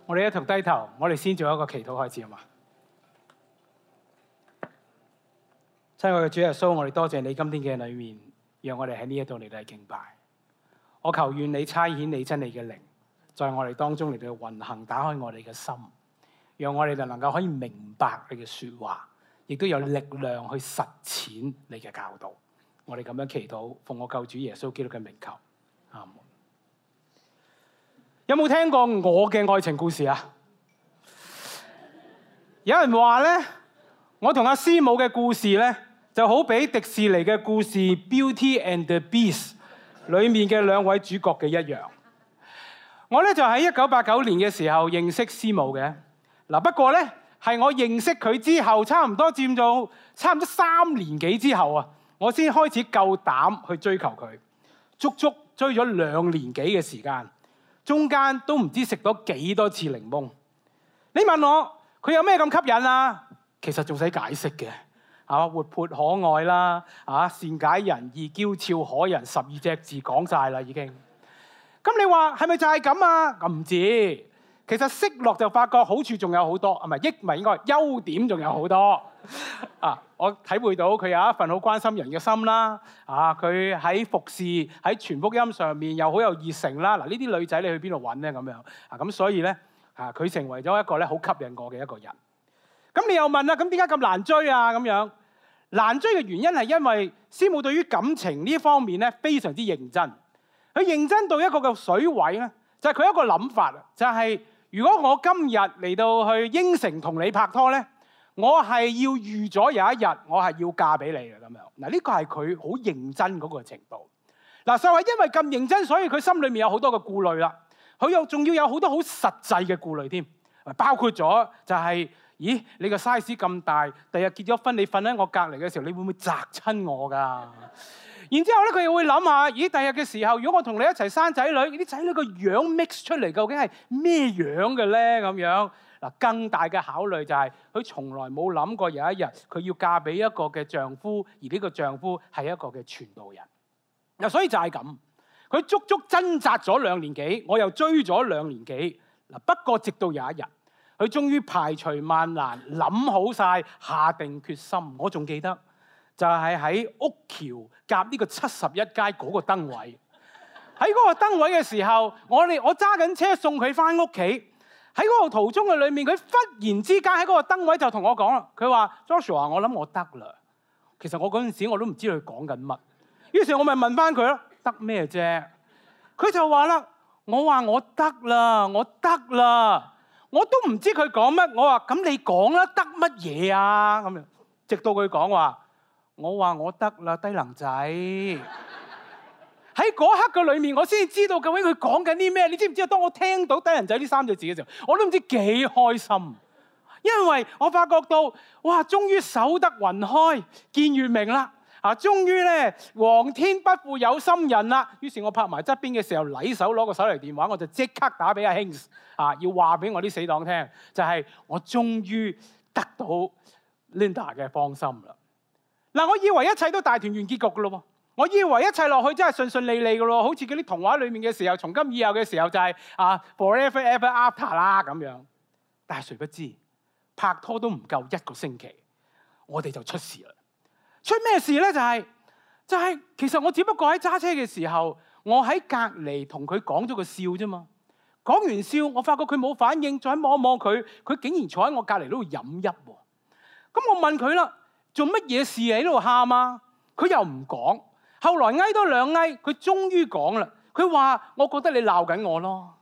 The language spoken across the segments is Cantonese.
我哋一同低頭，我哋先做一個祈禱開始，好嘛？親愛嘅主耶穌，我哋多謝你今天嘅裏面，讓我哋喺呢一度嚟到敬拜。我求願你差遣你真理嘅靈，在我哋當中嚟到運行，打開我哋嘅心，讓我哋就能夠可以明白你嘅說話，亦都有力量去實踐你嘅教導。我哋咁樣祈禱，奉我救主耶穌基督嘅名求，阿門。有冇聽過我嘅愛情故事啊？有人話咧，我同阿師母嘅故事咧，就好比迪士尼嘅故事《Beauty and the Beast》裏面嘅兩位主角嘅一樣。我咧就喺1989年嘅時候認識師母嘅。嗱，不過咧係我認識佢之後，差唔多3年幾之後啊，我先開始夠膽去追求佢，足足追咗2年幾嘅時間。中間都唔知食咗幾多次檸檬。你問我佢有咩咁吸引啊？其實仲使解釋嘅，活潑可愛啦，善解人意、嬌俏可人，12隻字講晒啦已經。咁你話係咪就係咁啊？唔知，其實識落就發覺好處仲有好多，唔係應該優點仲有好多。我體會到佢有一份好關心人嘅心啦。佢喺服侍喺傳福音上面又好有熱誠啦。嗱，呢啲女仔你去邊度揾咧？咁樣咁所以咧佢成為咗一個咧好吸引我嘅一個人。咁你又問啦，咁點解咁難追啊？咁樣難追嘅原因係因為師母對於感情呢方面咧非常之認真。佢認真到一個嘅水位咧，就係佢一個諗法，就係如果我今日嚟到去應承同你拍拖咧，我係要預咗有一日我係要嫁俾你嘅咁樣。嗱，呢個係佢好認真嗰個程度。嗱，就係因為咁認真，所以佢心裏面有好多嘅顧慮啦。佢又仲要有好多好實際嘅顧慮添，包括咗就係，咦，你個 size 咁大，第日結咗婚你瞓喺我隔離嘅時候，你會唔會砸親我㗎？然之後咧，佢又會諗下，咦，第日嘅時候，如果我同你一齊生仔女，啲仔女個樣 mix 出嚟，究竟係咩樣嘅咧？咁樣嗱，更大嘅考慮就係佢從來冇諗過有一日佢要嫁俾一個嘅丈夫，而呢個丈夫係一個嘅傳道人。嗱，所以就係咁，佢足足掙扎咗2年幾，我又追咗2年幾。嗱，不過直到有一日，佢終於排除萬難，諗好晒，下定決心。我仲記得。就係喺屋橋夾呢個71街嗰個燈位，喺嗰個燈位嘅時候，我揸緊車送佢翻屋企，喺嗰個途中嘅裏面，佢忽然之間喺嗰個燈位就同我講啦，佢話 Joshua， 我諗我得啦。其實我嗰陣時我都唔知佢講緊乜，於是我咪問翻佢咯，得咩啫？佢就話啦，我話我得啦，我得啦，我都唔知佢講乜。我話咁你講啦，得乜嘢啊？咁樣，直到佢講話。我話我得啦，低能仔。喺嗰刻嘅裏面，我先知道究竟佢講緊啲咩。你知唔知啊？當我聽到低能仔呢3隻字嘅時候，我都唔知幾開心，因為我發覺到哇，終於守得雲開見月明啦！終於咧，皇天不負有心人啦。於是我拍埋側邊嘅時候，禮手攞個手提電話，我就即刻打俾阿興要話俾我啲死黨聽，就係我終於得到 Linda 嘅芳心啦。嗱，我以為一切都大團圓結局噶咯喎，我以為一切落去真係順順利利噶咯，好似嗰啲童話裏面嘅時候，從今以後嘅時候就係forever ever after 啦咁樣。但係誰不知拍拖都唔夠1個星期，我哋就出事啦。出咩事咧？就係其實我只不過喺揸車嘅時候，我喺隔離同佢講咗個笑啫嘛。講完笑，我發覺佢冇反應，再望一望佢，佢竟然坐喺我隔離嗰度飲泣喎。咁我問佢啦。做乜嘢事喺度喊啊？佢又唔講。後來嗌多2嗌，佢終於講啦。佢話：我覺得你鬧緊我咯。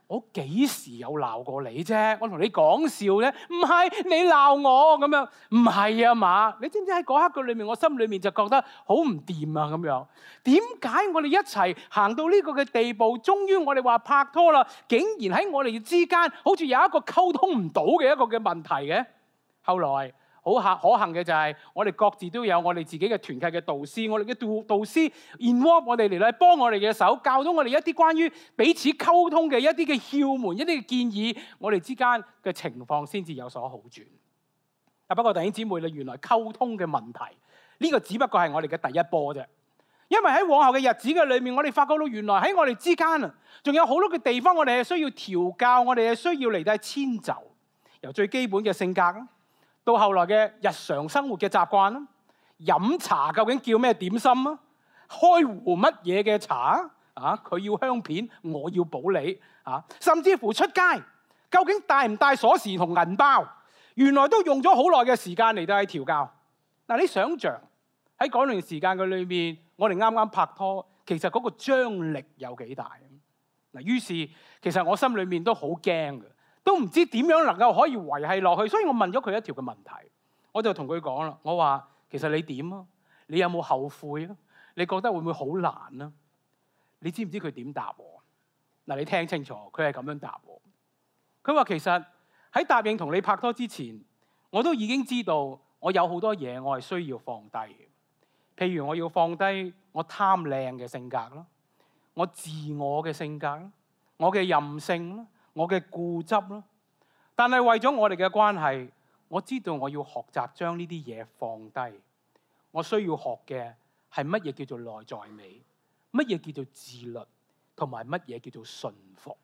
我幾時有鬧過你啫？我同你講笑啫，唔係你鬧我咁樣。唔係啊嘛？你知唔知喺嗰刻嘅裏面，我心裏面就覺得好唔掂啊咁樣。點解我哋一齊行到呢個嘅地步，終於我哋話拍拖啦，竟然喺我哋之間好似有一個溝通唔到嘅一個嘅問題嘅？後來。好可幸嘅就係我哋各自都有我哋自己嘅團契嘅導師，我哋嘅導師 involve 我哋嚟到幫我哋嘅手，教到我哋一啲關於彼此溝通嘅一啲嘅竅門、一啲嘅建議，我哋之間嘅情況先至有所好轉。不過弟兄姊妹，你原來溝通嘅問題呢個只不過係我哋嘅第一波啫。因為喺往後嘅日子嘅裏面，我哋發覺到原來喺我哋之間啊，仲有好多嘅地方，我哋係需要調教，我哋係需要嚟到遷就。由最基本嘅性格啦，到後來嘅日常生活嘅習慣啦，飲茶究竟叫咩點心啊？開壺乜嘢嘅茶啊？佢要香片，我要普洱啊！甚至乎出街，究竟帶唔帶鎖匙同銀包？原來都用咗好耐嘅時間嚟到去調教。嗱，你想象喺嗰段時間嘅裏面，我哋啱啱拍拖，其實嗰個張力有幾大？嗱，於是其實我心裏面都好驚嘅，都唔知點樣能夠可以維繫落去，所以我問咗佢一條嘅問題，我就同佢講啦，我話其實你點啊？你有冇後悔啊？你覺得會唔會好難啊？你知唔知佢點答我？嗱，你聽清楚，佢係咁樣答我。佢話其實喺答應同你拍拖之前，我都已經知道我有好多嘢我係需要放低嘅。譬如我要放低我貪靚嘅性格啦，我自我嘅性格啦，我嘅任性啦，我嘅固執啦。但係為咗我哋嘅關係，我知道我要學習將呢啲嘢放低。我需要學嘅係乜嘢叫做內在美，乜嘢叫做自律，同埋乜嘢叫做順服。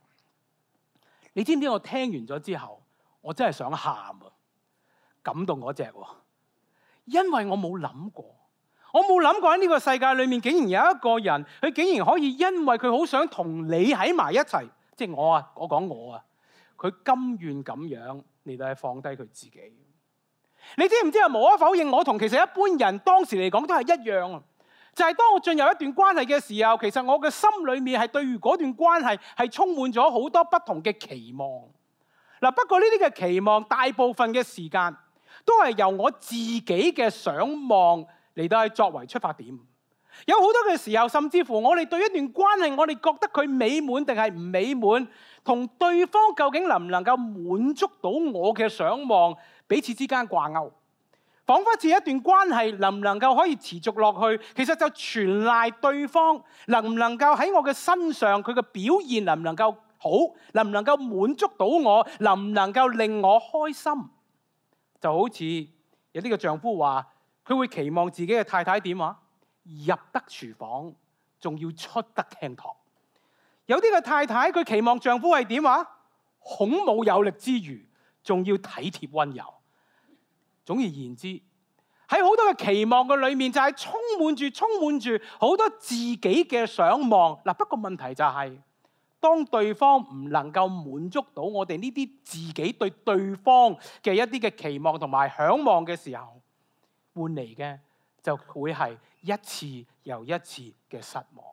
你知唔知我聽完咗之後，我真係想喊啊！感動嗰隻喎，因為我冇諗過，喺呢個世界裏面竟然有一個人，佢竟然可以因為佢好想同你喺埋一齊，即係我講我啊，佢甘願咁樣嚟到係放低佢自己。你知唔知啊？無可否認，我同其實一般人當時嚟講都係一樣啊。就係當我進入一段關係嘅時候，其實我嘅心裏面係對於嗰段關係係充滿咗好多不同嘅期望。嗱，不過呢啲嘅期望大部分嘅時間都係由我自己嘅想望嚟到係作為出發點。有好多嘅時候，甚至乎我哋對一段關係，我哋覺得佢美滿定係唔美滿，同對方究竟能唔能夠滿足到我嘅想望，彼此之間掛鈎。彷彿似一段關係能唔能夠可以持續落去，其實就全賴對方能唔能夠喺我嘅身上，佢嘅表現能唔能夠好，能唔能夠滿足到我，能唔能夠令我開心。就好似有啲嘅丈夫話，佢會期望自己嘅太太點啊？入得廚房，仲要出得廳堂。有啲嘅太太佢期望丈夫係點啊？孔武有力之餘，仲要體貼溫柔。總而言之，喺好多嘅期望嘅裏面，就係充滿住好多自己嘅想望。嗱，不過問題就係，當對方唔能夠滿足到我哋呢啲自己對對方嘅一啲嘅期望同埋向往嘅時候，換嚟嘅就會係一次又一次嘅失望。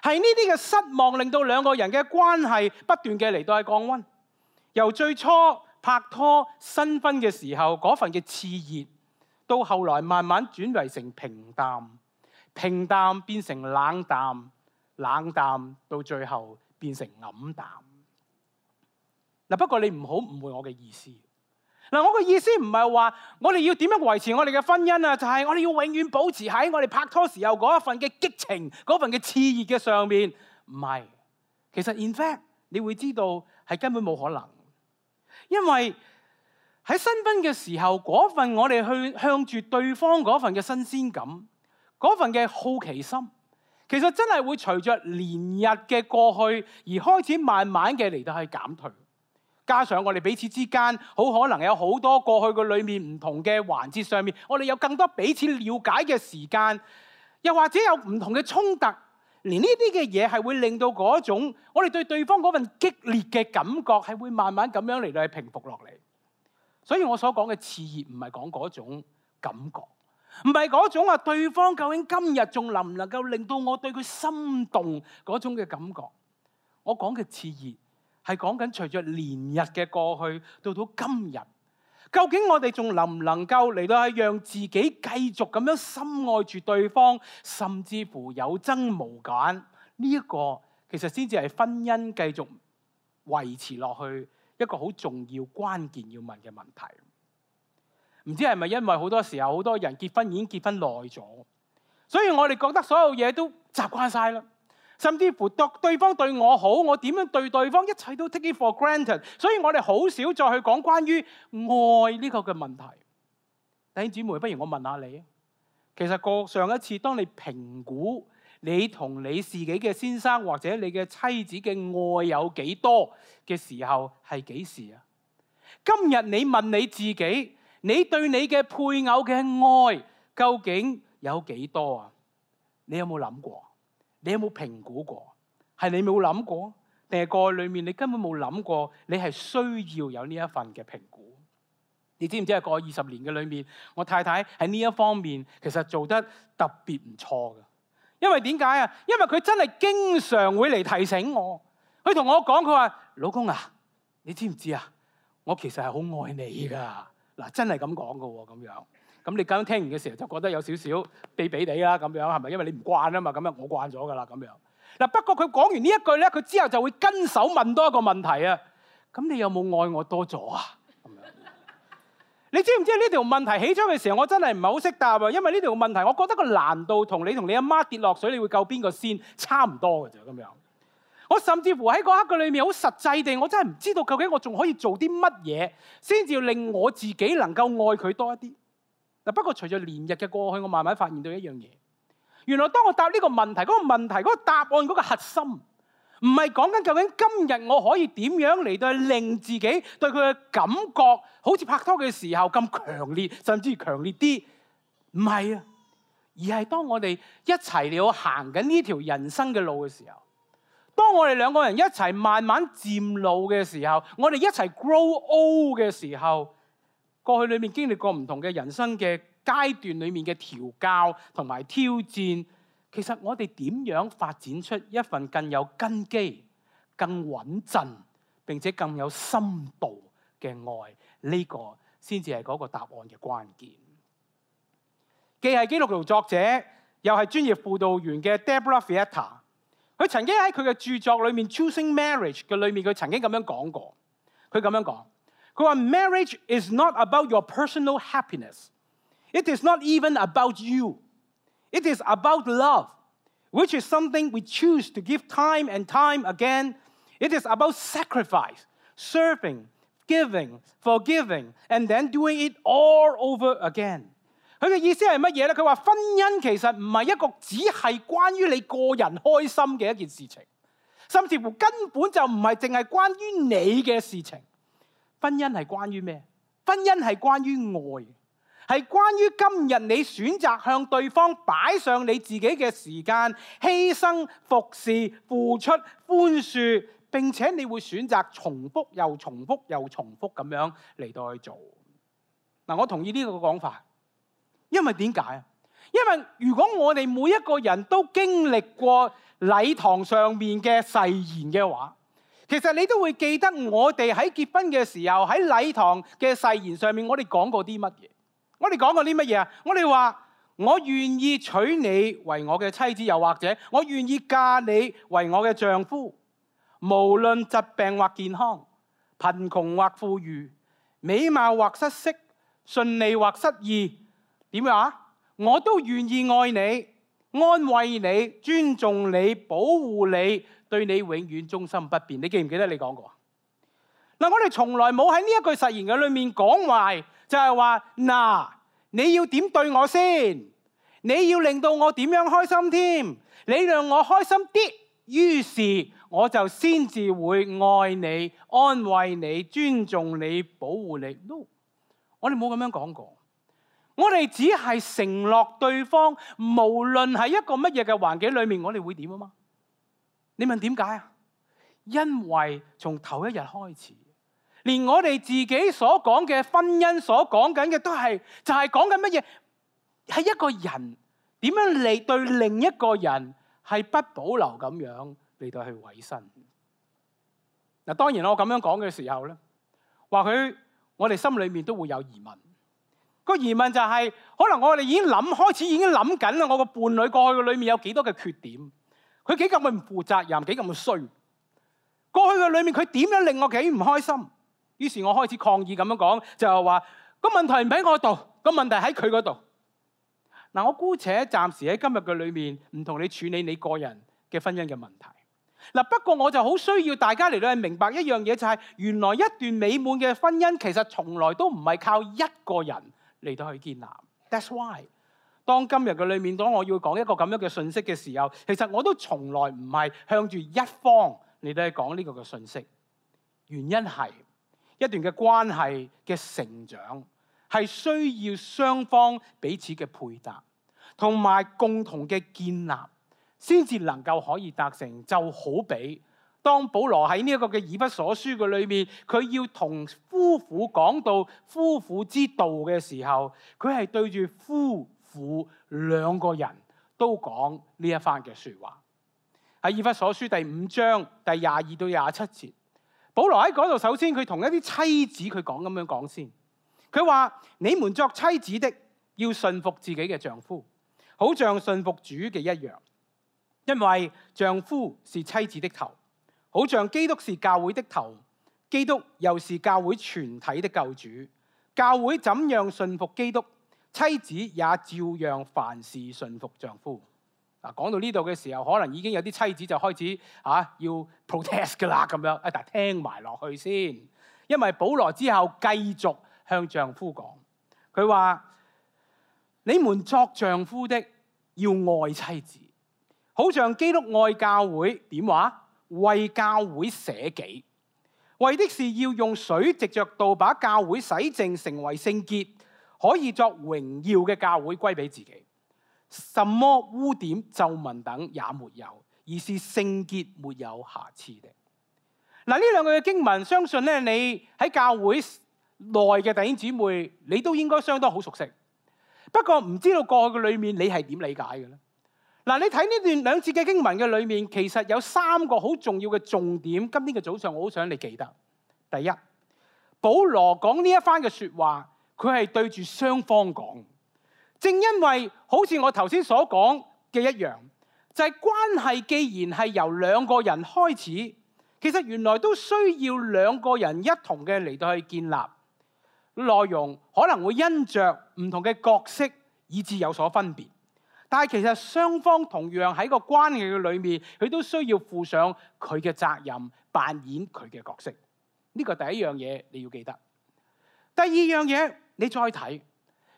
係呢啲嘅失望令到兩個人嘅關係不斷嘅嚟到係降溫，由最初拍拖新婚嘅時候嗰份嘅熾熱，到後來慢慢轉為成平淡，平淡變成冷淡，冷淡到最後變成黯淡。嗱，不過你唔好誤會我嘅意思。嗱，我嘅意思唔係話我哋要點樣維持我哋嘅婚姻啊，就係我哋要永遠保持喺我哋拍拖時候嗰一份嘅激情、嗰份嘅熾熱嘅上面。唔係，其實 in fact 你會知道係根本冇可能。因為喺新婚嘅時候，嗰份我哋去向住對方嗰份嘅新鮮感，嗰份嘅好奇心，其實真係會隨着年日嘅過去而開始慢慢嘅嚟到去減退。加上我哋彼此之間好可能有好多過去嘅裏面唔同嘅環節上面，我哋有更多彼此了解嘅時間，又或者有唔同嘅衝突。連呢啲嘅嘢係會令到嗰種我哋對對方嗰份激烈嘅感覺係會慢慢咁樣嚟到去平復落嚟。所以我所講嘅熾熱唔係講嗰種感覺，唔係嗰種話對方究竟今日仲能唔能夠令到我對佢心動嗰種嘅感覺。我講嘅熾熱係講緊隨着年日嘅過去到今日，究竟我哋仲能唔能夠嚟到係讓自己繼續咁樣深愛住對方，甚至乎有增無減？呢一個其實先至係婚姻繼續維持落去一個好重要關鍵要問嘅問題。唔知係咪因為好多時候好多人結婚已經結婚耐咗，所以我哋覺得所有嘢都習慣晒啦。甚至乎對方對我好，我點樣對對方，一切都 take it for granted。所以我哋好少再去講關於愛呢個嘅問題。弟兄姊妹，不如我問下你，其實過上一次當你評估你同你自己嘅先生或者你嘅妻子嘅愛有幾多嘅時候係幾時啊？今日你問你自己，你對你嘅配偶嘅愛究竟有幾多啊？你有冇諗過？你有冇評估過？係你冇諗過，定係過去裏面你根本冇諗過？你係需要有呢一份嘅評估。你知唔知係過去20年嘅裏面，我太太喺呢一方面其實做得特別唔錯嘅。因為點解啊？因為佢真係經常會嚟提醒我。佢同我講，佢話：老公啊，你知唔知啊？我其實係好愛你噶。嗱，真係咁講噶喎，咁樣。咁你剛聽完嘅時候就覺得有少少避避地啦，咁樣係咪？因為你唔慣啊嘛，咁樣我慣咗噶啦，咁樣。嗱，不過佢講完呢一句咧，佢之後就會跟手問多一個問題啊。咁你有冇愛我多咗啊？咁樣。你知唔知呢條問題起初嘅時候，我真係唔係好識答啊，因為呢條問題，我覺得個難度同你阿媽跌落水，你會救邊個先差唔多嘅啫，咁樣。我甚至乎喺嗰刻嘅裏面，好實際地，我真係唔知道究竟我仲可以做啲乜嘢，先至要令我自己能夠愛佢多一啲。嗱，不過隨著年日嘅過去，我慢慢發現到一樣嘢，原來當我答呢個問題，嗰個問題嗰個答案嗰個核心，唔係講緊究竟今日我可以點樣嚟到令自己對佢嘅感覺，好似拍拖嘅時候咁強烈，甚至強烈啲，唔係啊，而係當我哋一齊嚟行緊呢條人生嘅路嘅時候，當我哋兩個人一齊慢慢漸老嘅時候，我哋一齊 grow old 嘅時候，過去裏面經歷過唔同嘅人生嘅階段裏面嘅調教同埋挑戰，其實我哋點樣發展出一份更有根基、更穩陣並且更有深度嘅愛，呢個先至係嗰個答案嘅關鍵。既係基督徒作者，又係專業輔導員嘅 Deborah Fietta， 佢曾經喺佢嘅著作裏面 Choosing Marriage 嘅裏面，佢曾經咁樣講過。佢咁樣講，佢話 Marriage is not about your personal happiness. It is not even about you. It is about love, which is something we choose to give time and time again. It is about sacrifice, serving, giving, forgiving, and then doing it all over again. 佢嘅意思係乜嘢咧？佢話婚姻其實唔係一個只係關於你個人開心嘅一件事情，甚至乎根本就唔係淨係關於你嘅事情。婚姻係關於咩？婚姻係關於愛，係關於今日你選擇向對方擺上你自己嘅時間、犧牲、服侍、付出、寬恕，並且你會選擇重複又重複又重複咁樣嚟到去做。嗱，我同意呢個講法。因為點解啊？因為如果我哋每一個人都經歷過禮堂上面嘅誓言嘅話，其實你都會記得我哋喺結婚嘅時候喺禮堂嘅誓言上面，我哋講過啲乜嘢？我哋講過啲乜嘢啊？我哋話我願意娶你為我嘅妻子，又或者我願意嫁你為我嘅丈夫，無論疾病或健康，貧窮或富裕，美貌或失色，順利或失意。點樣啊？我都願意愛你、安慰你、尊重你、保護你，對你永遠忠心不變。你記唔記得你講過？嗱，我哋從來冇喺呢一句誓言嘅裏面講壞，就係話嗱，你要點對我先？你要令到我點樣開心添？你讓我開心啲，於是我就先至會愛你、安慰你、尊重你、保護你。No， 我哋冇咁樣講過。我哋只係承諾對方，無論係一個乜嘢嘅環境裏面，我哋會點啊嘛？你問點解啊？因為從頭一日開始，連我哋自己所講嘅婚姻所講緊嘅都係，就係講緊乜嘢？係一個人點樣嚟對另一個人係不保留咁樣嚟到去委身。嗱，當然我咁樣講嘅時候咧，或許我哋心裏面都會有疑問。個疑問就係，可能我哋開始已經諗緊啦，我個伴侶過去嘅裏面有幾多嘅缺點，佢幾咁唔負責任，幾咁嘅衰。過去嘅裏面佢點樣令我幾唔開心？於是我開始抗議咁樣講，就係話個問題唔喺我度，個問題喺佢嗰度。嗱，我姑且暫時喺今日嘅裏面唔同你處理你個人嘅婚姻嘅問題。嗱，不過我就好需要大家嚟到去明白一樣嘢，就係原來一段美滿嘅婚姻其實從來都唔係靠一個人嚟到去建立。That's why，當今日嘅裏面，當我要講一個咁樣嘅信息嘅時候，其實我都從來唔係向住一方嚟到去講呢個嘅信息。原因係一段嘅關係嘅成長係需要雙方彼此嘅配搭，同埋共同嘅建立，先至能夠可以達成。就好比當保羅喺呢一個嘅以弗所書嘅裏面，佢要同夫婦講到夫婦之道嘅時候，佢係對住夫婦兩個人都講呢一番嘅說話。喺以弗所書第5章第22到27節，保羅喺嗰度首先佢同一啲妻子佢講咁樣講先。佢話：你們作妻子的要順服自己嘅丈夫，好像順服主嘅一樣，因為丈夫是妻子的頭，好像基督是教會的頭，基督又是教會全體的救主。教會怎樣順服基督，妻子也照樣凡事順服丈夫。嗱，講到呢度嘅時候，可能已經有啲妻子就開始要 protest 㗎啦咁樣，但係聽埋落去先，因為保羅之後繼續向丈夫講，佢話：你們作丈夫的要愛妻子，好像基督愛教會，點話？為教會捨己，為的是要用水藉着道把教會洗淨，成為聖潔，可以作榮耀嘅教會歸俾自己，什麼污點皺紋等也沒有，而是聖潔沒有瑕疵的。嗱，呢兩句嘅經文，相信咧你喺教會內嘅弟兄姊妹，你都應該相當好熟悉。不過唔知道過去嘅裏面你係點理解嘅咧？嗱，你睇呢段2節嘅經文嘅裏面，其實有3個好重要嘅重點。今天嘅早上，我好想你記得。第一，保羅講呢一番嘅說話，佢係對住雙方講。正因為好似我頭先所講嘅一樣，就係關係既然係由2個人開始，其實原來都需要2個人一同嘅嚟到去建立。內容可能會因着唔同嘅角色以致有所分別，但係其實雙方同樣喺個關係嘅裏面，佢都需要負上佢嘅責任，扮演佢嘅角色。呢個第一樣嘢你要記得。第二樣嘢你再睇，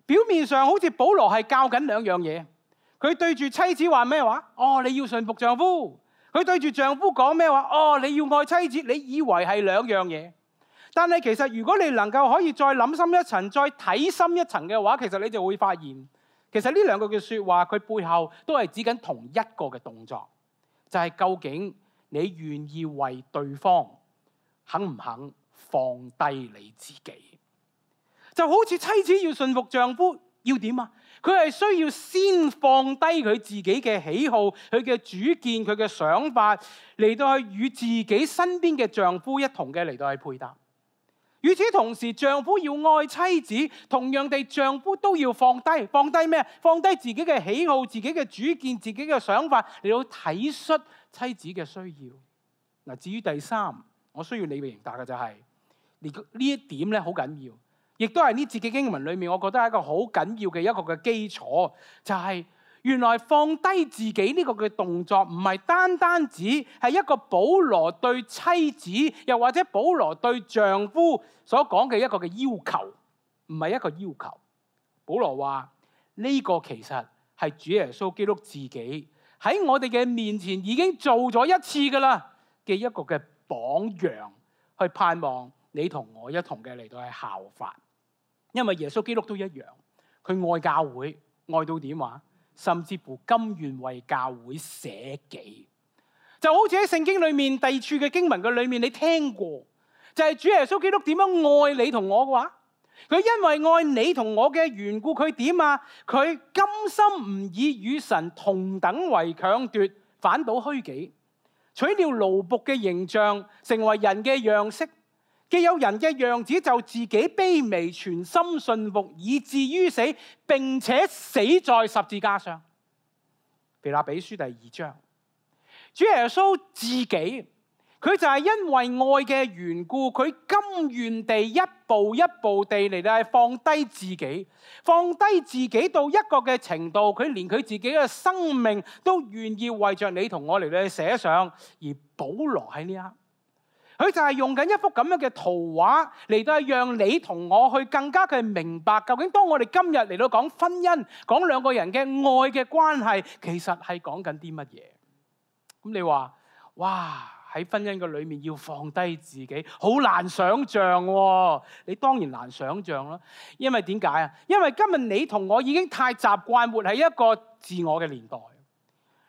表面上好似保羅係教緊2樣嘢，佢對住妻子話咩話？你要順服丈夫。佢對住丈夫講咩話？你要愛妻子。你以為係2樣嘢？但係其實如果你能夠可以再諗深一層，再睇深一層嘅話，其實你就會發現，其實呢2句嘅說話，佢背後都係指緊同一個嘅動作，就係究竟你願意為對方肯唔肯放低你自己？就好似妻子要順服丈夫，要點啊？佢係需要先放低佢自己嘅喜好、佢嘅主見、佢嘅想法，嚟到去與自己身邊嘅丈夫一同嘅嚟到去配搭。與此同時，丈夫要愛妻子，同樣地，丈夫都要放低咩？放低自己嘅喜好、自己嘅主見、自己嘅想法，嚟到體恤妻子嘅需要。嗱，至於第3，我需要你明白嘅就係呢一點咧，好緊要，亦都係呢節嘅經文裏面，我覺得係一個好緊要嘅一個嘅基礎，就係原來放低自己呢個嘅動作，唔係單單只係一個保羅對妻子，又或者保羅對丈夫所講嘅一個嘅要求，唔係一個要求。保羅話呢個其實係主耶穌基督自己喺我哋嘅面前已經做咗一次噶啦嘅一個嘅榜樣，去盼望你同我一同嘅嚟到去效法。因為耶穌基督都一樣，佢愛教會，愛到點話？甚至乎甘願為教會捨己，就好似喺聖經裏面第2處嘅經文嘅裏面，你聽過就係主耶穌基督點樣愛你同我嘅話，佢因為愛你同我嘅緣故，佢點啊？佢甘心唔以與神同等為強奪，反倒虛己，取了奴僕嘅形象，成為人嘅樣式。既有人嘅樣子，就自己卑微，全心順服，以至於死，並且死在十字架上。腓立比書第2章，主耶穌自己，佢就係因為愛嘅緣故，佢甘願地一步一步地嚟到放低自己，放低自己到一個嘅程度，佢連佢自己嘅生命都願意為着你同我嚟到寫上。而保羅喺呢一刻，佢就係用緊一幅咁樣嘅圖畫嚟到讓你同我去更加嘅明白，究竟當我哋今日嚟到講婚姻，講兩個人嘅愛嘅關係，其實係講緊啲乜嘢？咁你話，哇！喺婚姻嘅裏面要放低自己，好難想像喎。你當然難想像啦，因為點解啊？因為今日你同我已經太習慣活喺一個自我嘅年代。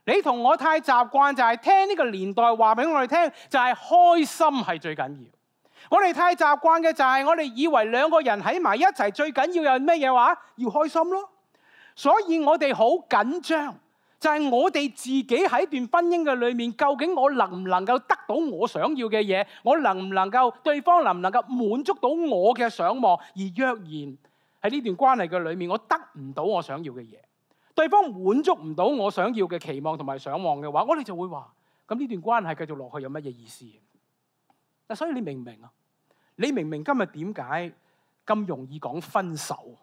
你同我太習慣就係聽呢個年代話俾我哋聽，就係開心係最緊要。我哋太習慣嘅就係我哋以為兩個人喺埋一齊最緊要有咩嘢話？要開心咯。所以我哋好緊張。就係我哋自己喺段婚姻嘅裏面，究竟我能唔能夠得到我想要嘅嘢？我能唔能夠對方能唔能夠滿足到我嘅想望？而若然喺呢段關係嘅裏面，我得唔到我想要嘅嘢，對方滿足唔到我想要嘅期望同埋想望嘅話，我哋就會話：咁呢段關係繼續落去有乜嘢意思？嗱，所以你明唔明啊？你明唔明今日點解咁容易講分手？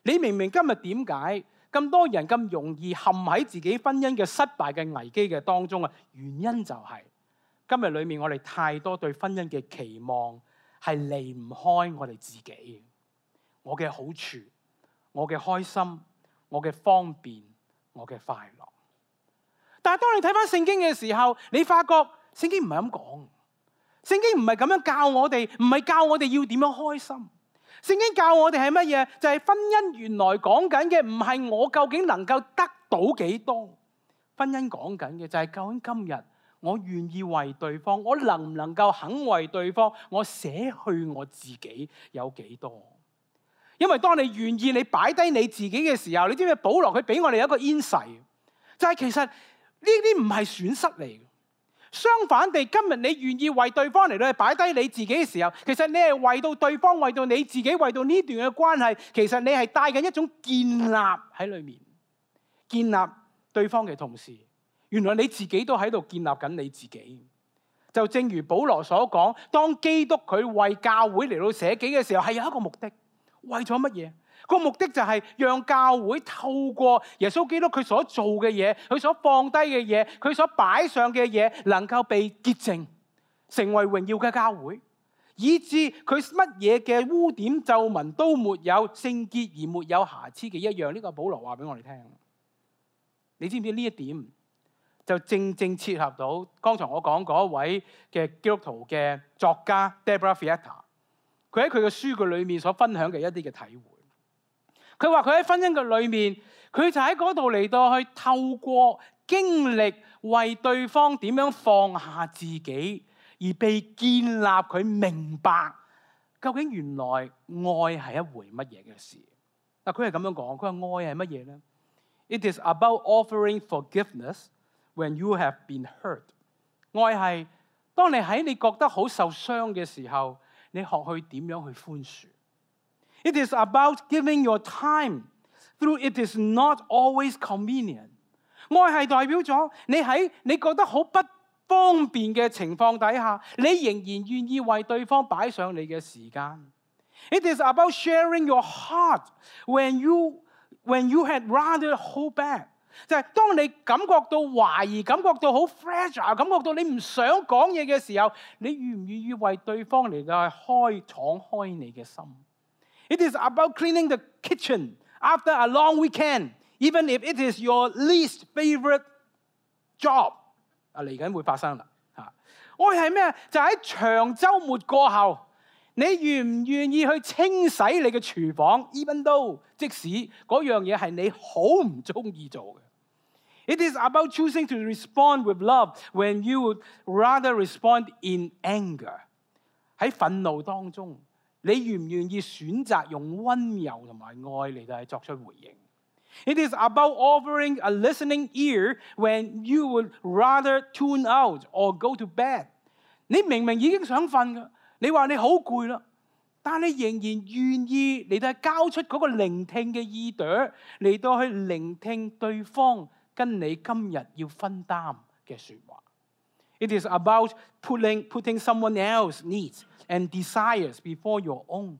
你明唔明今日點解咁多人咁容易陷喺自己婚姻嘅失敗嘅危機嘅當中啊？原因就係今日裏面我哋太多對婚姻嘅期望係離唔開我哋自己，我嘅好處、我嘅開心、我嘅方便、我嘅快樂。但係當你睇翻聖經嘅時候，你發覺聖經唔係咁講，聖經唔係咁樣教我哋，唔係教我哋要點樣開心。聖經教我哋係乜嘢？就係婚姻原來講緊嘅唔係我究竟能夠得到幾多，婚姻講緊嘅就係究竟今日我願意為對方，我能唔能夠肯為對方，我捨去我自己有幾多？因為當你願意你擺低你自己嘅時候，你知唔知保羅佢俾我哋一個 insight， 就係其實呢啲唔係損失嚟嘅。相反地，今日你願意為對方嚟到去擺低你自己嘅時候，其實你係為到對方，為到你自己，為到呢段嘅關係，其實你係帶緊一種建立喺裏面，建立對方嘅同時，原來你自己都喺度建立緊你自己。就正如保羅所講，當基督佢為教會嚟到捨己嘅時候，係有一個目的，為咗乜嘢？個目的就係讓教會透過耶穌基督佢所做嘅嘢，佢所放低嘅嘢，佢所擺上嘅嘢，能夠被潔淨，成為榮耀嘅教會，以致佢乜嘢嘅污點皺紋都沒有，聖潔而沒有瑕疵嘅一樣。呢個保羅話俾我哋聽。你知唔知呢一點就正正切合到剛才我講嗰一位嘅基督徒嘅作家 Deborah Fietta， 佢喺佢嘅書嘅裏面所分享嘅一啲嘅體會。佢話佢喺婚姻嘅裏面，佢就喺嗰度嚟到去透過經歷為對方點樣放下自己，而被建立，佢明白究竟原來愛係一回乜嘢嘅事。嗱，佢係咁樣講，佢話愛係乜嘢咧？ It is about offering forgiveness when you have been hurt。 愛係當你喺你覺得好受傷嘅時候，你學去點樣去寬恕。It is about giving your time through it is not always convenient。 愛係代表咗你喺你覺得好不方便嘅情況底下，你仍然願意為對方擺上你嘅時間。It is about sharing your heart when you had rather hold back。 就係當你感覺到懷疑，感覺到好 fragile， 感覺到你唔想講嘢嘅時候，你願唔願意為對方嚟到去敞開你嘅心？ It is about cleaning the kitchen after a long weekend, even if it is your least favorite job。 嚟緊會發生啦。愛係咩？就喺長週末過後，你願唔願意去清洗你嘅廚房 even though 即使嗰樣嘢係你好唔中意做嘅。It is about choosing to respond with love when you would rather respond in anger。 喺憤怒當中，你願唔願意選擇用溫柔同埋愛嚟到作出回應？ It is about offering a listening ear when you would rather tune out or go to bed。 你明明已經想瞓㗎，你話你好攰啦，但係你仍然願意嚟到交出嗰個聆聽嘅耳朵，嚟到去聆聽對方跟你今日要分擔嘅説話。It is about putting someone else's needs and desires before your own。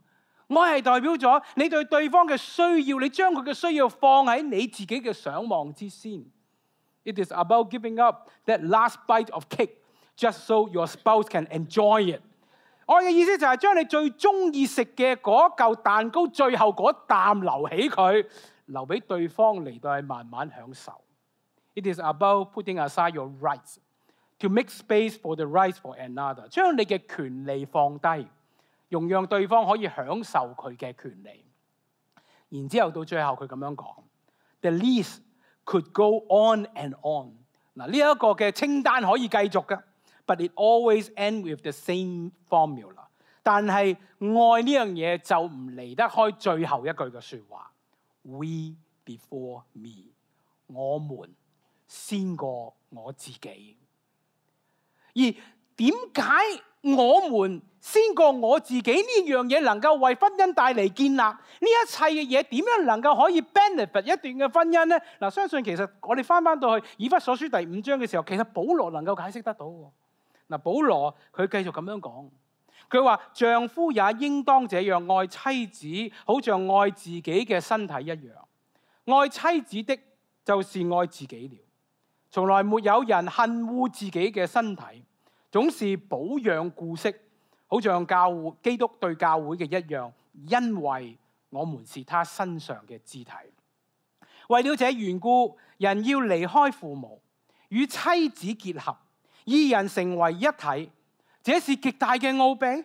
愛係代表咗你對對方嘅需要，你將佢嘅需要放喺你自己嘅想望之先。It is about giving up that last bite of cake just so your spouse can enjoy it。愛嘅意思就係將你最中意食嘅嗰嚿蛋糕，最後嗰啖留起佢，留俾對方嚟到去慢慢享受。It is about putting aside your rights to make space for the rights for another。將你嘅權利放低，容讓對方可以享受佢嘅權利。然之後到最後佢咁樣講 ，The list could go on and on。嗱，呢一個嘅清單可以繼續嘅。But it always ends with the same formula。但係愛呢樣嘢就唔離得開最後一句嘅説話 ：We before me， 我們先過我自己。而點解我們先過我自己呢樣嘢能夠為婚姻帶嚟建立呢一切嘅嘢？點樣能夠可以 benefit 一段嘅婚姻呢？嗱，相信其實我哋翻到去以弗所書第5章嘅時候，其實保羅能夠解釋得到。嗱，保羅佢繼續咁樣講，佢話丈夫也應當這樣愛妻子，好像愛自己嘅身體一樣。愛妻子的，就是愛自己了。從來沒有人恨惡自己嘅身體，總是保養顧惜，好像基督對教會嘅一樣，因為我們是他身上嘅肢體。為了這緣故，人要離開父母，與妻子結合，二人成為一體，這是極大嘅奧秘。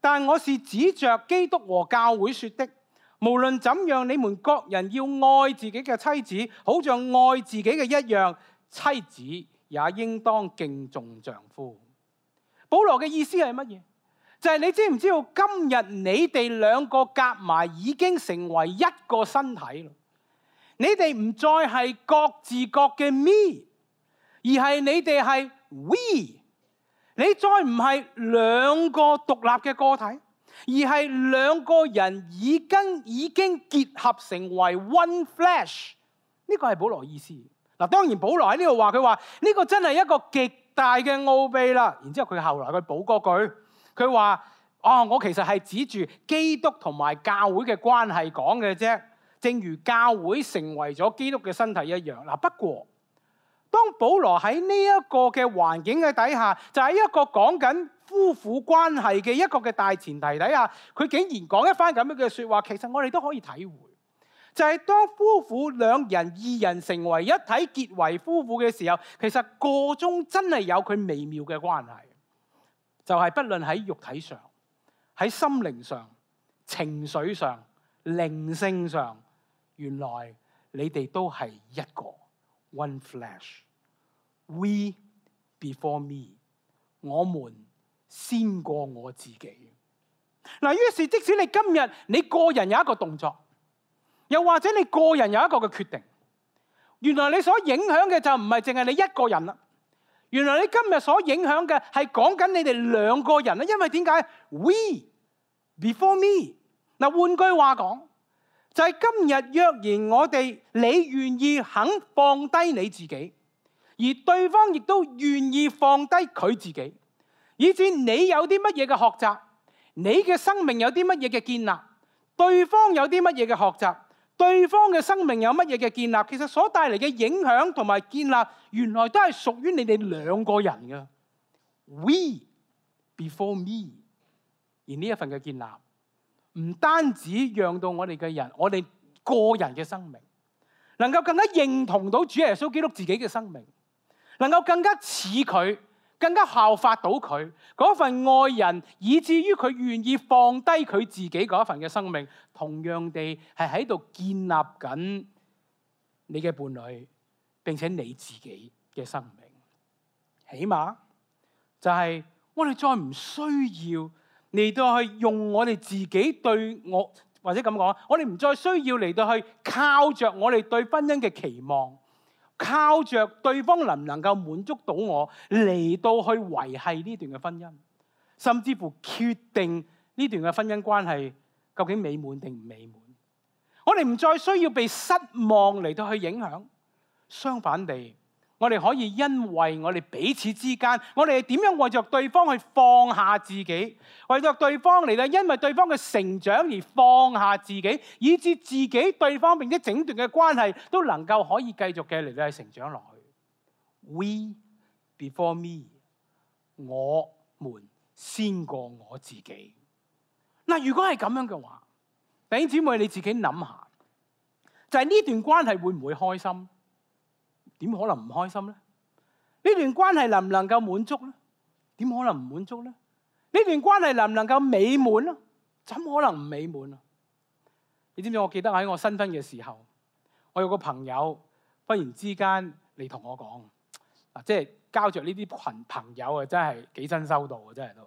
但我是指着基督和教會說的。無論怎樣，你們各人要愛自己嘅妻子，好像愛自己嘅一樣。妻子也應當敬重丈夫。保羅嘅意思係乜嘢？就係你知唔知道今日你哋兩個夾埋已經成為一個身體咯？你哋唔再係各自各嘅 me， 而係你哋係 we。你再唔係兩個獨立嘅個體，而係兩個人已經結合成為 one flesh。呢個係保羅意思。嗱，當然保羅喺呢度話，佢話呢個真係一個極大嘅奧秘啦。然之後佢後來佢補嗰句，佢話：我其實係指住基督同埋教會嘅關係講嘅啫，正如教會成為咗基督嘅身體一樣。嗱，不過當保羅喺呢一個嘅環境嘅底下，就喺一個講緊夫婦關係嘅一個嘅大前提底下，佢竟然講一番咁樣嘅説話，其實我哋都可以體會。就係當夫婦兩人二人成為一體結為夫婦嘅時候，其實個中真係有佢微妙嘅關係，就係不論喺肉體上、喺心靈上、情緒上、靈性上，原來你哋都係一個 one flesh。 We before me， 我們先過我自己。嗱，於是即使你今日你個人有一個動作，又或者你個人有一個嘅決定，原來你所影響嘅就唔係淨係你一個人啦。原來你今日所影響嘅係講緊你哋兩個人啦。因為點解 We before me？ 嗱，換句話講，就係今日若然我哋你願意肯放低你自己，而對方亦都願意放低佢自己，以至你有啲乜嘢嘅學習，你嘅生命有啲乜嘢嘅建立，對方有啲乜嘢嘅學習，對方嘅生命有乜嘢嘅建立，其實所帶嚟嘅影響同埋建立，原來都係屬於你哋兩個人嘅。We before me。而呢一份嘅建立，唔單止讓到我哋嘅人，我哋個人嘅生命，能夠更加認同到主耶穌基督自己嘅生命，能夠更加似佢，更加效法到佢嗰份愛人，以至於佢願意放低佢自己嗰份嘅生命，同樣地係喺度建立緊你嘅伴侶，並且你自己嘅生命。起碼就係我哋再唔需要嚟到去用我哋自己對我，或者咁講，我哋唔再需要嚟到去靠着我哋對婚姻嘅期望，靠着對方能唔能夠滿足到我嚟到去維繫呢段嘅婚姻，甚至乎決定呢段嘅婚姻關係究竟美滿定唔美滿。我哋唔再需要被失望嚟到去影響，相反地，我哋可以因為我哋彼此之間，我哋點樣為着對方去放下自己，為着對方嚟到，因為對方嘅成長而放下自己，以致自己對方並且整段嘅關係都能夠可以繼續嘅嚟到去成長落去。We before me，我們先過我自己。嗱，如果係咁樣嘅話，弟兄姊妹你自己諗下，就係呢段關係會唔會開心？點可能唔開心咧？呢段關係能唔能夠滿足咧？點可能唔滿足咧？呢段關係能唔能夠美滿咧？怎可能唔美滿啊？你知唔知？我記得喺我新婚嘅時候，我有個朋友忽然之間嚟同我講，即係交着呢啲群朋友啊，真係幾新收到啊，真係都。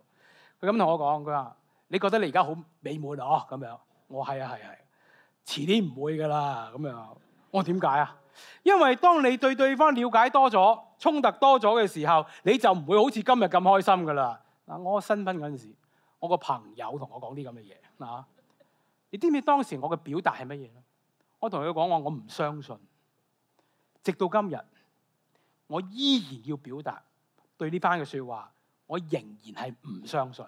佢咁同我講，佢話：你覺得你而家好美滿啊？咁樣，我係啊，遲啲唔會噶啦。咁樣，我點解啊？因為當你對對方了解多咗、衝突多咗嘅時候，你就唔會好似今日咁開心噶啦。嗱，我新婚嗰陣時，我個朋友同我講啲咁嘅嘢嗱，你知唔知當時我嘅表達係乜嘢咧？我同佢講話，我唔相信。直到今日，我依然要表達對呢番嘅説話，我仍然係唔相信，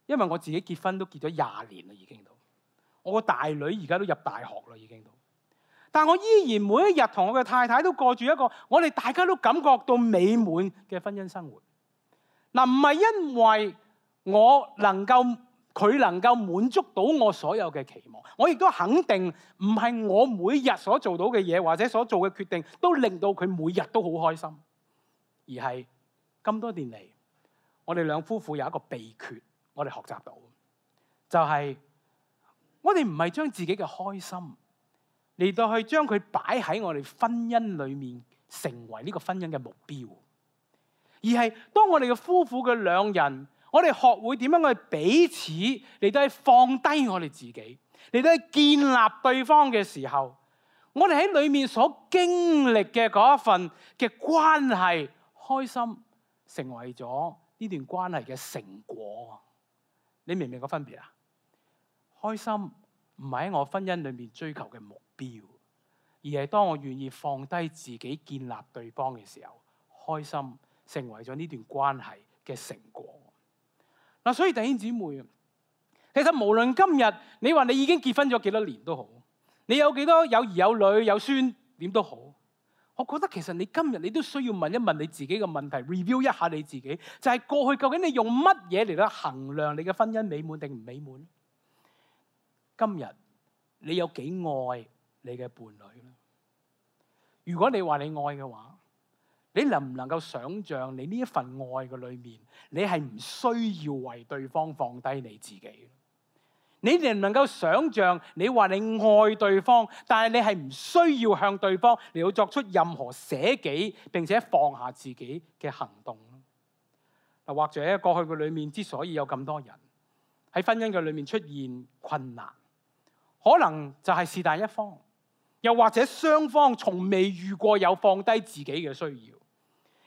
因為我自己結婚都結咗20年啦，已經到我個大女而家都入大學啦，已經到。但我依然每一日同我嘅太太都過住一個我哋大家都感覺到美滿嘅婚姻生活。嗱，唔係因為佢能夠滿足到我所有嘅期望，我亦都肯定唔係我每日所做到嘅嘢或者所做嘅決定都令到佢每日都好開心，而係咁多年嚟，我哋兩夫婦有一個秘訣，我哋學習到，就係我哋唔係將自己嘅開心嚟到去將佢擺喺我哋婚姻裏面，成為呢個婚姻嘅目標，而係當我哋嘅夫婦嘅兩人，我哋學會點樣去彼此嚟到去放低我哋自己，嚟到去建立對方嘅時候，我哋喺裏面所經歷嘅嗰一份嘅關係，開心成為咗呢段關係嘅成果。你明唔明個分別啊？開心唔係喺我婚姻裏面追求嘅目標，而係當我願意放低自己建立對方嘅時候，開心成為咗呢段關係嘅成果。嗱，所以弟兄姊妹，其實無論今日你話你已經結婚咗幾多年都好，你有幾多有兒有女有孫點都好，我覺得其實你今日你都需要問一問你自己嘅問題 ，review 一下你自己，就係過去究竟你用乜嘢嚟到衡量你嘅婚姻美滿定唔美滿？今日你有幾愛你嘅伴侶咧？如果你話你愛嘅話，你能唔能夠想像你呢一份愛嘅裏面，你係唔需要為對方放低你自己？你能唔能夠想像你話你愛對方，但係你係唔需要向對方嚟到作出任何捨己並且放下自己嘅行動？嗱，或者過去嘅裏面之所以有咁多人喺婚姻嘅裏面出現困難，可能就係是但一方，又或者雙方從未遇過有放低自己嘅需要。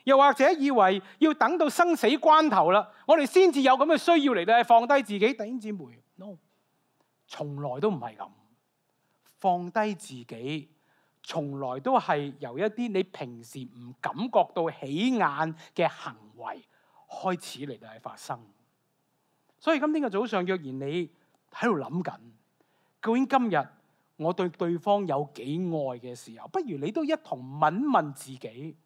又或者以為要等到生死關頭啦，我哋先至有咁嘅需要嚟到放低自己。弟兄姊妹 ，no， 從來都唔係咁。放低自己，從來都係由一啲你平時唔感覺到起眼嘅行為開始嚟到發生。所以今天嘅早上，若然你喺度諗緊，究竟今日我對對方有幾愛嘅時候，不如你都一同問問自己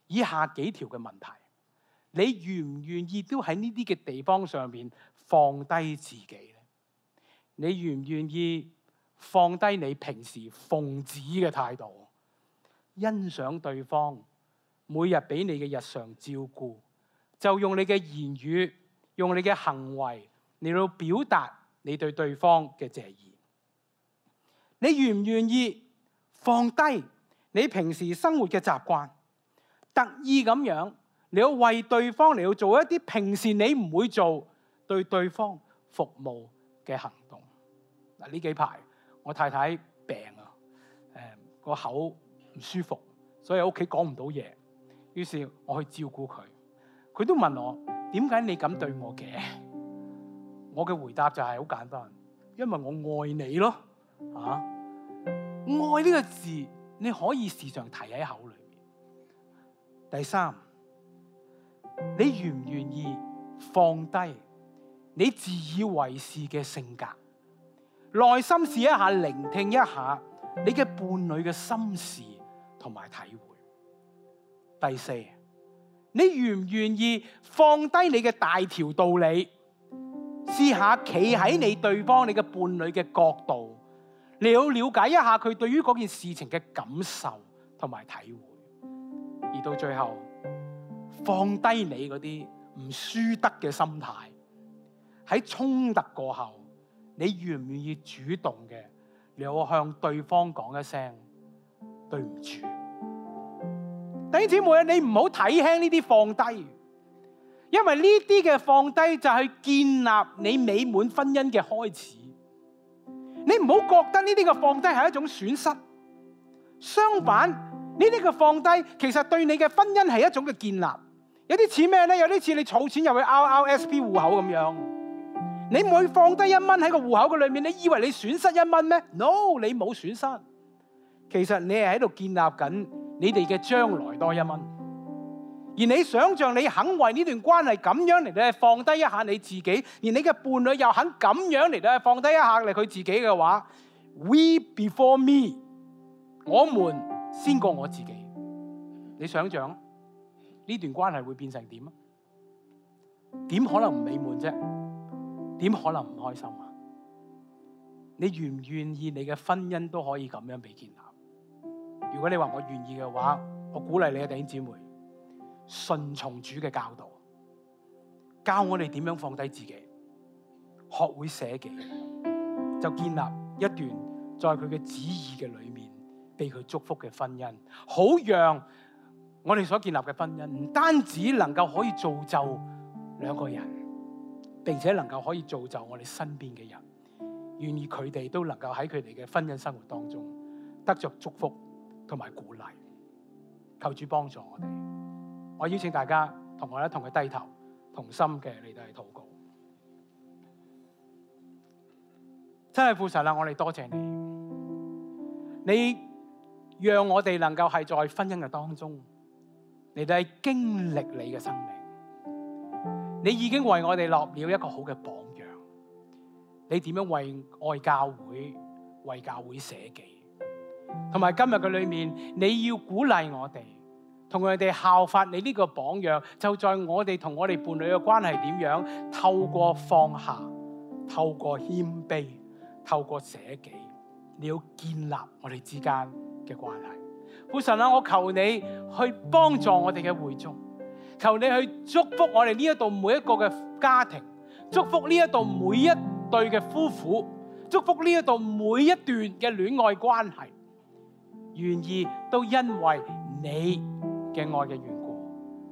以下幾條嘅問題：你願唔願意都喺呢啲嘅地方上面放低自己咧？你願唔願意放低你平時奉旨嘅態度，欣賞對方每日俾你嘅日常照顧，就用你嘅言語、用你嘅行為嚟到表達你對對方嘅謝意？你願唔願意放低你平時生活嘅習慣，特意咁樣你要為對方嚟到做一啲平時你唔會做對對方服務嘅行動？嗱，呢幾排我太太病啊，個口唔舒服，所以喺屋企講唔到嘢。於是我去照顧佢，佢都問我點解你咁對我嘅？我嘅回答就係好簡單，因為我愛你咯。愛呢個字你可以時常提喺口裏面。第三，你願唔願意放低你自以為是嘅性格，內心試一下聆聽一下你嘅伴侶嘅心事同埋體會？第四，你願唔願意放低你嘅大條道理，試下企喺你對方、你嘅伴侶嘅角度，你要了解一下佢對於嗰件事情嘅感受同埋體會，而到最後放低你嗰啲唔輸得嘅心態。喺衝突過後，你願唔願意主動嘅，你要向對方講一聲對唔住。弟兄姊妹，你唔好睇輕呢啲放低，因為呢啲嘅放低就係建立你美滿婚姻嘅開始。你唔好覺得呢啲嘅放低係一種損失，相反，呢啲嘅放低其實對你嘅婚姻係一種嘅建立。有啲似咩呢？有啲似你儲錢入去 RRSP 戶口咁樣，你每放低1蚊喺個戶口嘅裏面，你以為你損失1蚊咩？ No， 你冇損失，其實你係喺度建立緊你哋嘅將來多1蚊。而你想象你肯為呢段關係咁樣嚟到放低一下你自己，而你嘅伴侶又肯咁樣嚟到放低一下佢自己嘅話， We before me， 我們先過我自己。你想象呢段關係會變成點啊？點可能唔美滿啫？點可能唔開心啊？你願唔願意你嘅婚姻都可以咁樣被建立？如果你話我願意嘅話，我鼓勵你嘅弟兄姊妹順從主嘅教導，教我哋點樣放低自己，學會捨己，就建立一段在佢嘅旨意嘅裏面被佢祝福嘅婚姻，好讓我哋所建立嘅婚姻唔單止能夠可以造就兩個人，並且能夠可以造就我哋身邊嘅人，願意佢哋都能夠喺佢哋嘅婚姻生活當中得着祝福同埋鼓勵。求主幫助我哋。我邀請大家同我一同去低頭，同心嘅嚟到去禱告。真係父神啊，我哋多謝你，你讓我哋能夠係在婚姻嘅當中嚟到去經歷你嘅生命。你已經為我哋立了一個好嘅榜樣，你點樣為愛教會、為教會捨己，同埋今日嘅裏面，你要鼓勵我哋，同佢哋效法你呢個榜樣，就在我哋同我哋伴侶嘅關係點樣，透過放下，透過謙卑，透過捨己，你要建立我哋之間嘅關係。父神啊，我求你去幫助我哋嘅會眾，求你去祝福我哋呢一度每一個嘅家庭，祝福呢一度每一對嘅夫婦，祝福呢一度每一段嘅戀愛關係，願意都因為你嘅愛嘅緣故，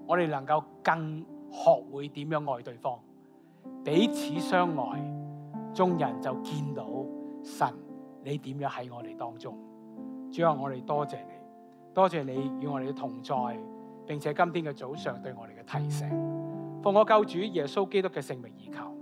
我哋能夠更學會點樣愛對方，彼此相愛，眾人就見到神你點樣喺我哋當中。主啊，我哋多謝你，多謝你與我哋嘅同在，並且今天嘅早上對我哋嘅提醒，奉我救主耶穌基督嘅聖名而求。